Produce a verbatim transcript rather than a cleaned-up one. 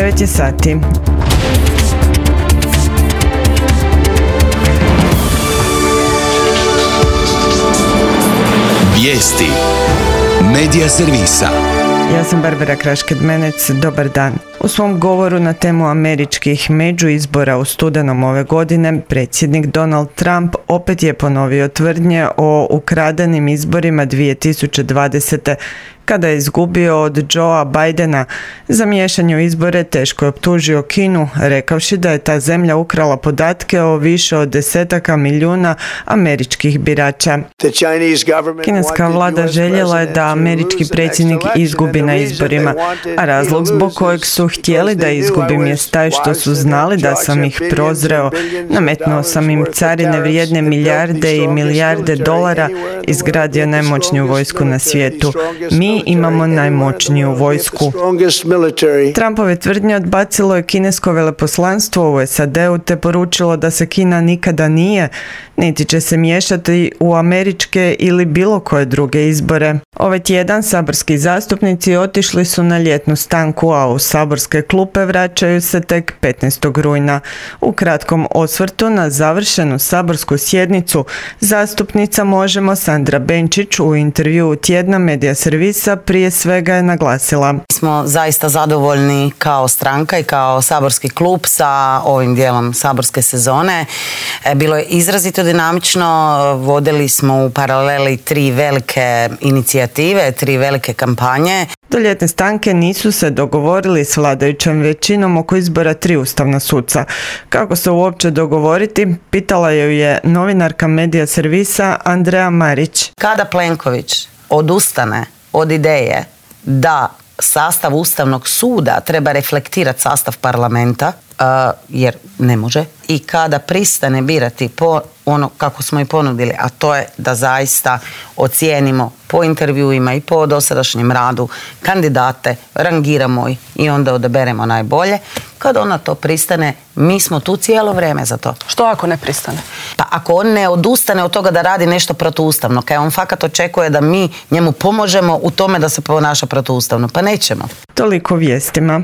devet je sati. Vijesti Medija servisa. Ja sam Barbara Krašked-Menec, dobar dan. U svom govoru na temu američkih međuizbora u studenom ove godine, predsjednik Donald Trump opet je ponovio tvrdnje o ukradenim izborima dvije tisuće dvadesete. Kada je izgubio od Joea Bidena. Za miješanje u izbore teško je optužio Kinu, rekavši da je ta zemlja ukrala podatke o više od desetaka milijuna američkih birača. Kineska vlada željela je da američki predsjednik izgubi na izborima, a razlog zbog kojeg su htjeli da izgubim je taj što su znali da sam ih prozreo, nametnuo sam im carine vrijedne milijarde i milijarde dolara, izgradio najmoćniju vojsku na svijetu. Mi imamo najmoćniju vojsku. Trumpove tvrdnje odbacilo je kinesko veleposlanstvo u S A D-u te poručilo da se Kina nikada nije, niti će se miješati u američke ili bilo koje druge izbore. Ovaj tjedan saborski zastupnici otišli su na ljetnu stanku, a u saborske klupe vraćaju se tek petnaestog rujna. U kratkom osvrtu na završenu saborsku sjednicu zastupnica Možemo Sandra Benčić u intervjuu tjedna Medija servisa prije svega je naglasila: Smo zaista zadovoljni kao stranka i kao saborski klub sa ovim dijelom saborske sezone. Bilo je izrazito dinamično, vodili smo u paraleli tri velike inicijative, tri velike kampanje. Do ljetne stanke nisu se dogovorili s vladajućom većinom oko izbora tri ustavna suca. Kako se uopće dogovoriti, pitala ju je novinarka Medija servisa Andreja Marić. Kada Plenković odustane od ideje da sastav Ustavnog suda treba reflektirati sastav parlamenta, uh, jer ne može, i kada pristane birati po ono kako smo i ponudili, a to je da zaista ocijenimo po intervjuima i po dosadašnjem radu kandidate, rangiramo ih i onda odaberemo najbolje. Kad ona to pristane, mi smo tu cijelo vrijeme za to. Što ako ne pristane? Pa ako on ne odustane od toga da radi nešto protuustavno, kaj on fakat očekuje da mi njemu pomožemo u tome da se ponaša protuustavno, pa nećemo. Toliko vijestima.